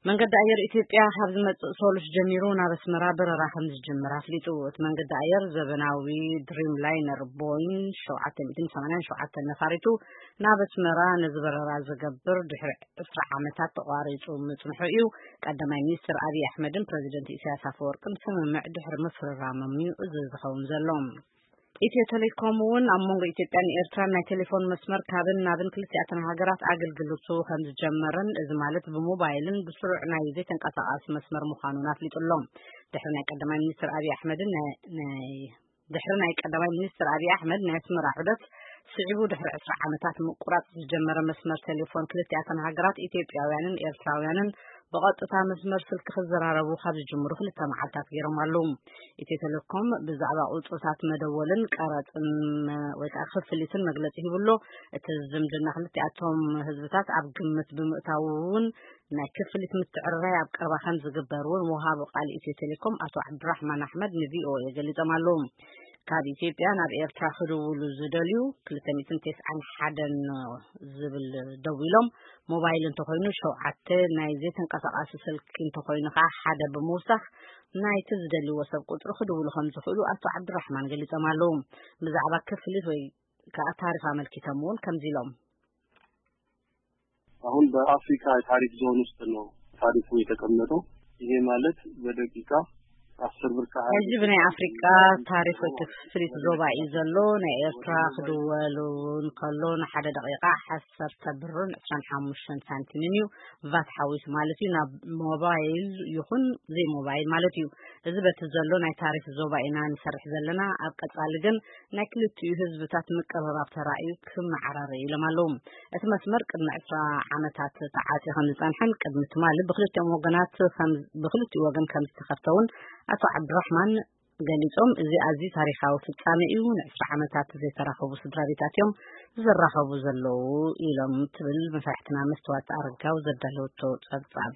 መንገዲ ኣየር ኢትዮጵያ ካብ ዝመጽእ ሶሉስ ጀሚሩ ናብ ኣስመራ በረራ ከም ዝጅምር ኣፍሊጡ። እቲ መንገዲ ኣየር ዘበናዊ ድሪም ላይነር ቦይን ሸውዓተ ሚእትን ሰማንያን ሸውዓተን ነፋሪቱ ናብ ኣስመራ ነዚ በረራ ዘገብር ድሕሪ ዕስራ ዓመታት ተቋሪጹ ምጽንሑ እዩ። ቀዳማይ ሚኒስትር ኣብይ ኣሕመድን ፕረዚደንት ኢሳያስ ኣፈወርቅን ስምምዕ ድሕሪ ምፍርራሞም እዩ እዚ ዝኸውን ዘሎ። ኢትዮ ቴሌኮም እውን ኣብ መንጎ ኢትዮጵያን ኤርትራን ናይ ቴሌፎን መስመር ካብን ናብን ክልቲኣተን ሃገራት ኣገልግሎቱ ከም ዝጀመረን፣ እዚ ማለት ብሞባይልን ብስሩዕ ናይ ዘይተንቀሳቓሲ መስመር ምዃኑን ኣፍሊጡ ኣሎ። ድሕሪ ናይ ቀዳማይ ሚኒስትር ኣብይ ኣሕመድን ናይ፣ ናይ፣ ድሕሪ ናይ ቀዳማይ ሚኒስትር ኣብይ ኣሕመድ ናይ ኣስመራ ዑደት ስዒቡ፣ ድሕሪ ዕስራ ዓመታት ምቁራጽ ዝጀመረ መስመር ቴሌፎን ክልቲኣተን ሃገራት፣ ኢትዮጵያውያንን ኤርትራውያንን፣ ብቐጥታ መስመር ስልኪ ክዘራረቡ ካብ ዝጅምሩ ክልተ መዓልታት ገይሮም ኣለዉ። ኢትዮ ቴሌኮም ብዛዕባ ቁጽርታት መደወልን ቀረጽን፣ እ፣ ወይ ከዓ ክፍሊትን መግለጺ ሂቡ ኣሎ። እቲ ዝምድና ክልቲኣቶም ህዝብታት ኣብ ግምት ብምእታው እውን ናይ ክፍሊት ምትዕርራይ ኣብ ቀረባ ከም ዝግበር እውን ወሃቢ ቃል ኢትዮ ቴሌኮም ኣቶ ዓብዱራሕማን ኣሕመድ ን ቪ ኦ ኤ ገሊጾም ኣለዉ። ካብ ኢትዮጵያ ናብ ኤርትራ ክድውሉ ዝደልዩ ክልተ ሚእትን ተስዓን ሓደን ዝብል ደዊሎም፣ ሞባይል እንተኾይኑ ሸውዓተ፣ ናይ ዘይተንቀሳቓሲ ስልኪ እንተኾይኑ ከዓ ሓደ ብምውሳኽ ናይቲ ዝደልይዎ ሰብ ቁጽሪ ክድውሉ ከም ዝኽእሉ ኣቶ ዓብዱራሕማን ገሊጾም ኣለዉ። ብዛዕባ ክፍሊት ወይ ከዓ ታሪፍ ኣመልኪቶም እውን ከምዚ ኢሎም። አሁን በአፍሪካ የታሪፍ ዞን ውስጥ ነው ታሪፉ የተቀመጠው። ይሄ ማለት በደቂቃ አስር ብር ከ- ሕጂ ብናይ ኣፍሪቃ ታሪፍ ወይ ክፍሊት ዞባ እዩ ዘሎ። ናይ ኤርትራ ክድወል እውን ከሎ ንሓደ ደቂቃ ዓሰርተ ብርን ዕስራን ሓሙሽተን ሳንቲምን እዩ፣ ቫት ሓዊሱ ማለት እዩ። ናብ ሞባይል ይኹን ዘይሞባይል ማለት እዩ። እዚ በቲ ዘሎ ናይ ታሪፍ ዞባ ኢና ንሰርሕ ዘለና። ኣብ ቀጻሊ ግን ናይ ክልቲኡ ህዝብታት ምቅርራብ ተራእዩ ክመዓራረ ኢሎም ኣለዉ። እቲ መስመር ቅድሚ ዕስራ ዓመታት ተዓጽዩ ከም ዝጸንሐን ቅድሚ ትማሊ ብክልቲኦም ወገናት ከም፣ ብክልቲኡ ወገን ከም ዝተኸፍተ እውን ኣቶ ዓብዱራሕማን ገሊጾም፣ እዚ ኣዝዩ ታሪኻዊ ፍጻሜ እዩ፣ ንዕስራ ዓመታት ዘይተራኸቡ ስድራ ቤታት እዮም ዝራኸቡ ዘለዉ ኢሎም ትብል መሳርሕትና መስተዋት ኣረጋው ዘዳለወቶ ጸብጻብ።